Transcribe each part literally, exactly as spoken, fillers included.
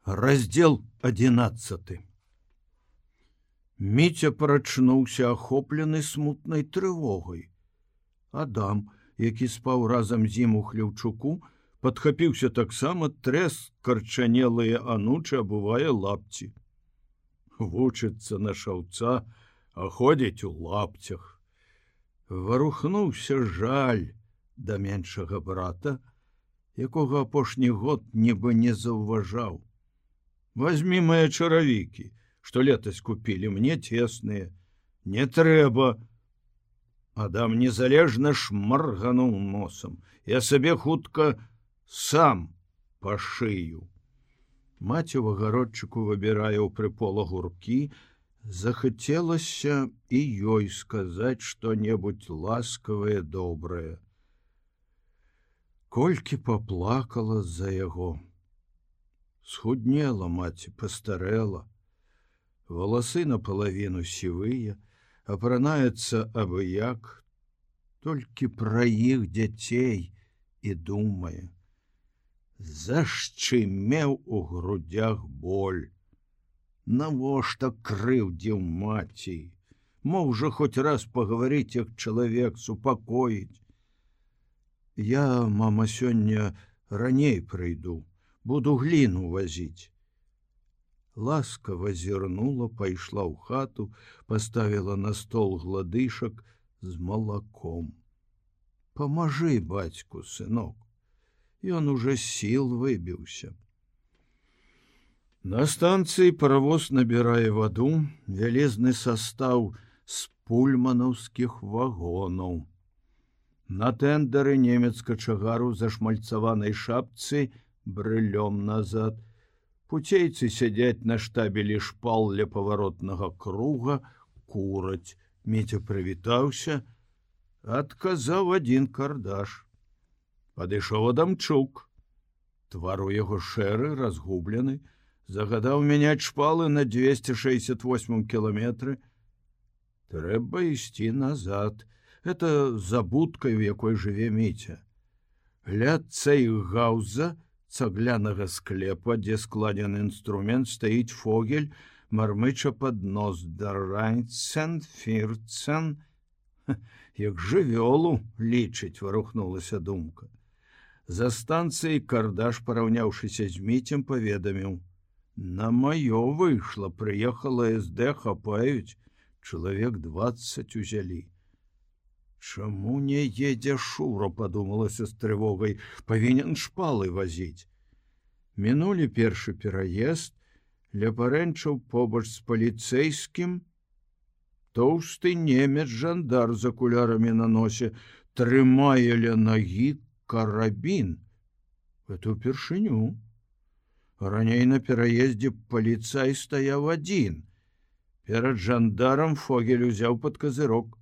Раздзел адзінаццаты. Міця прачнуўся ахоплены смутнай трывогай. Адам, які спаў разам з ім у хлеўчуку, падхапіўся таксама, трэс карчанелыя анучы, абувае лапці. Вучыцца на шаўца, а ходзіць у лапцях. Варухнуўся жаль да меншага брата, якога апошні год нібы не заўважаў. Возьми мои чаравікі, што летась купілі, мне цесныя. Не трэба. Адам незалежна шмаргануў носам. Я сабе хутка сам пашыю. Маці ў агародчыку выбірае ў прыпола гуркі, захацелася і ёй сказаць што-небудзь ласкавае, добрае. Колькі паплакала за яго. Схуднела маці, пастарэла. Валасы напалавіну сівыя, апранаецца абы-як, толькі пра іх дзяцей і думае. Зашчымеў у грудях боль. Навошта крыўдзіў маці? Мог жа хоць раз пагаварыць, як чалавек, супакоіць. Я, мама, сёння раней прыйду. Буду гліну вазіць. Ласкава зірнула, пайшла ў хату, паставіла на стол гладышак з малаком. Памажы бацьку, сынок. Ён уже сіл выбіўся. На станцыі паравоз набірае ваду, вялезны састаў з пульманаўскіх вагонаў. На тэндары немец качагару зашмальцаванай шапцы брылём назад. Пуцейцы сядзяць на штабелі шпал ля паваротнага круга, кураць. Міця прывітаўся, адказаў адзін кардаш. Падышоў Адамчук. Твар у яго шэры, разгублены, загадаў мяняць шпалы на двести шестьдесят восьмым кіламетры. Трэба ісці назад. Это за будкай, у якой жыве Міця. Ля цэйгауза, цаглянага склепа, дзе складзены інструмент, стаіць Фогель, мармыча пад нос. Дарайцен, фірцен. Як жывёлу лічыць, варухнулася думка. За станцыяй кардаш, параўняўшыся з Міцем, паведаміў. На маё выйшла, прыехала эс дэ, хапаюць, чалавек дваццаць узялі. Чаму не едзе Шура, падумалася з трывогай, павінен шпалы вазіць. Мінулі першы пераезд, ля парэнчаў побач з паліцэйскім. Тоўсты немец жандар з акулярамі на носе трымае ля нагі карабін. Это ўпершыню. Раней на пераездзе паліцай стаяў адзін. Перад жандарам Фогель узяў пад казырок.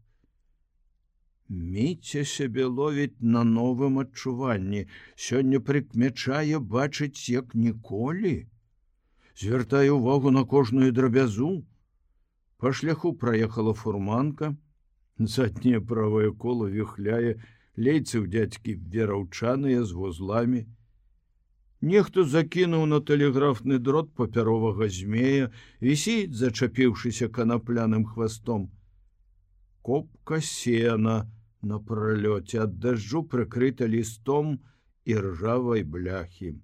Міця сябе ловіць на новым адчуванні. Сёння прыкмячае бачыць, як ніколі. Звяртае ўвагу на кожную драбязу. Па шляху праехала фурманка. Задняе правае кола віхляе, лейцы ў дзядзькі вераўчаныя з вузламі. Нехто закінуў на тэлеграфны дрот папяровага змея, вісіць, зачапіўшыся канапляным хвастом. Копка сена на пралёце, ад дажджу прыкрыта лістом і ржавай бляхі.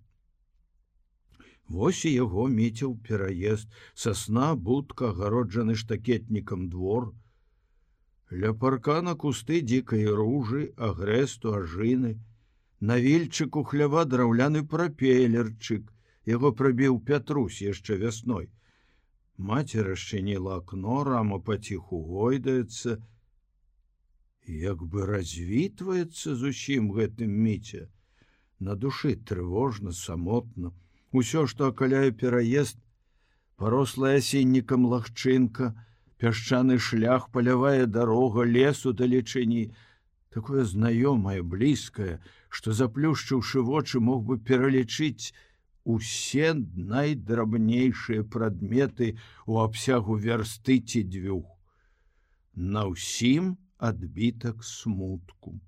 Вось і яго Міця ў пераезд, сасна, будка, агароджаны штакетнікам двор. Ля паркана кусты дзікай ружы, агрэсту, ажыны. На вільчыку хлява драўляны прапелерчык, яго прабіў Пятрусь яшчэ вясной. Маці расчыніла акно, рама паціху гойдаецца. Як бы развітваецца зусім гэтым Міця. На душы трывожна, самотна. Усё, што акаляе пераезд, парослая асіннікам лагчынка, пясчаны шлях, палявая дарога, лес удалечыні, такое знаёмае, блізкае, што, заплюшчыўшы вочы, мог бы пералічыць усе найдрабнейшыя прадметы ў абсягу вярсты ці дзвюх. На ўсім адбітак смутку.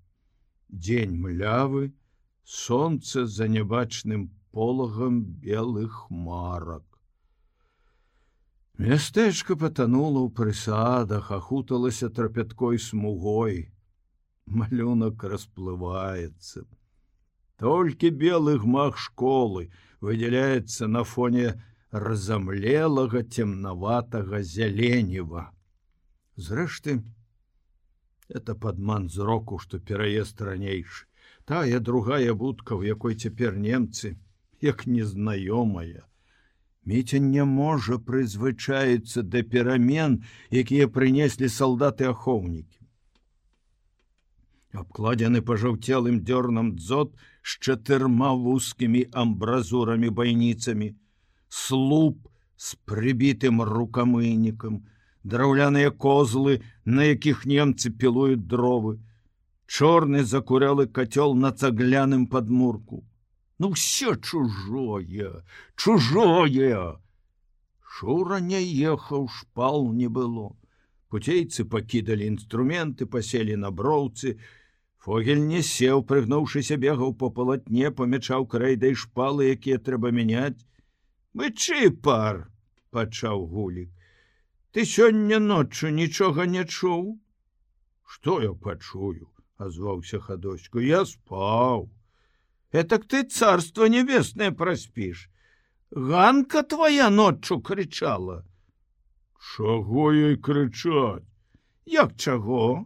Дзень млявы, сонца за нябачным полагам белых хмарак. Мястэчка патанула ў прысадах, ахуталася трапяткой смугой. Малюнак расплываецца. Толькі белы гмах школы выдзяляецца на фоне разамлелага темнаватага зяленева. Зрэшты, это падман зроку, што пераезд ранейшы. Тая другая будка, у якой цяпер немцы, як незнаёмая. Міця не можа прызвычаіцца да перамен, якія прынеслі салдаты-ахоўнікі. Абкладзены пажаўцелым дзёрнам дзот з чатырма вузкімі амбразурамі байніцамі, слуп з прыбітым рукамыйнікам, драўляныя козлы, на якіх немцы пілуюць дровы, чорны закурялы кацёл на цагляным падмурку. Ну все чужое, чужое. Шура не ехаў, шпал не было. Пуцейцы пакідалі інструменты, паселі на броўцы. Фогель не сеў, прыгнуўшыся, бегаў по палатне, памячаў крэйдай шпалы, якія трэба мяняць. Мычы, пар, пачаў Гулік. Ты сёння ноччу нічога не чуў? Што я пачую? Азваўся Хадоську. Я спаў. Этак ты царство небесное проспишь. Ганка твоя ночью кричала. Чаго ей кричать? Як чаго?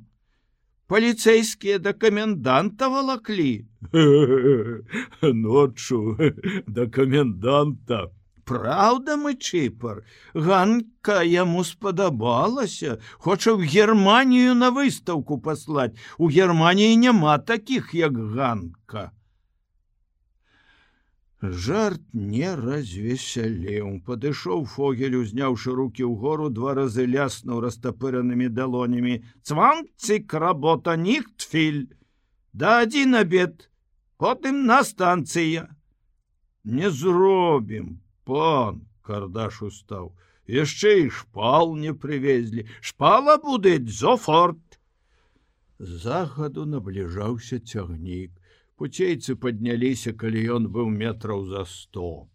Полицейские до коменданта волокли. Ночью до коменданта. Правда, Мычыпар? Ганка яму спадабалася. Хоча в Германию на выставку послать. У Германии нема таких, як Ганка. Жарт не развесялеў. Падышоў Фогель, узняўшы руки ўгору, два разы ляснуў растапыранымі далонямі. Цванцік, работа, ніхтфіль. Да адзін абед, потым на станцыя. Не зробім, пан, Кардаш устаў. Яшчэ і шпал не прывезлі. Шпала будзе зофорт. Загаду набліжаўся цягнік. Пуцейцы падняліся, калі ён быў метраў за сто.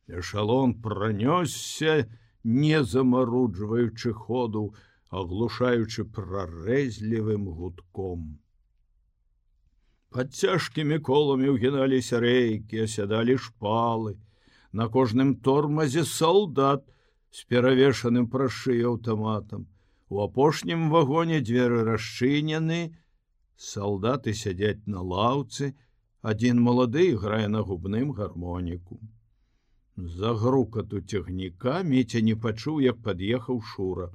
Эшалон пранёсся, не замаруджваючы ходу, аглушаючы прарэзлівым гудком. Пад цяжкімі коламі ўгіналіся рэйкі, асядалі шпалы. На кожным тормазе салдат з перавешаным праз шыю аўтаматам. У апошнім вагоне дзверы расчынены, салдаты сядзяць на лаўцы, адзін малады іграе на губным гармоніку. З-за грукату цягніка Міця не пачуў, як пад'ехаў Шура.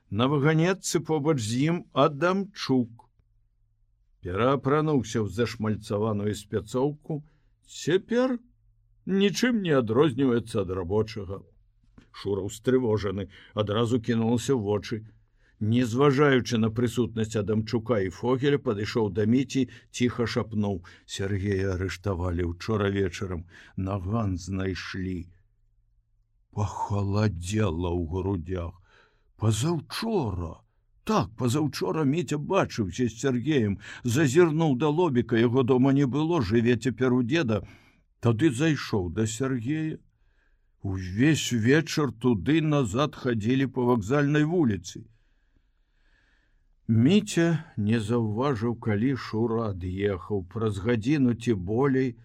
На ваганетцы побач з ім Адамчук. Пераапрануўся ў зашмальцаваную спецоўку, цяпер нічым не адрозніваецца ад рабочага. Шура устрывожаны, адразу кінулася ў вочы. Не зважаючы на прысутнасць Адамчука і Фогеля, падышоў да Міці, ціха шапнуў: Сергея арыштавалі учора вечарам, наган знайшлі. Пахаладзела ў грудях. Пазаўчора. Так, пазаўчора Міця бачыўся з Сергеем, зазірнуў да лобіка, яго дома не было, жыве цяпер у деда. Тады зайшоў да Сергея. Увесь вечар туды-назад хадзілі па вакзальнай вуліцы. Міця не заўважыў, калі Шура ад'ехаў. Праз гадзіну ці болей,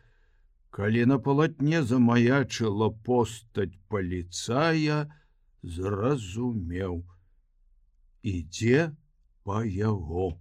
калі на палатне замаячыла постаць паліцая, зразумеў: ідзе па яго.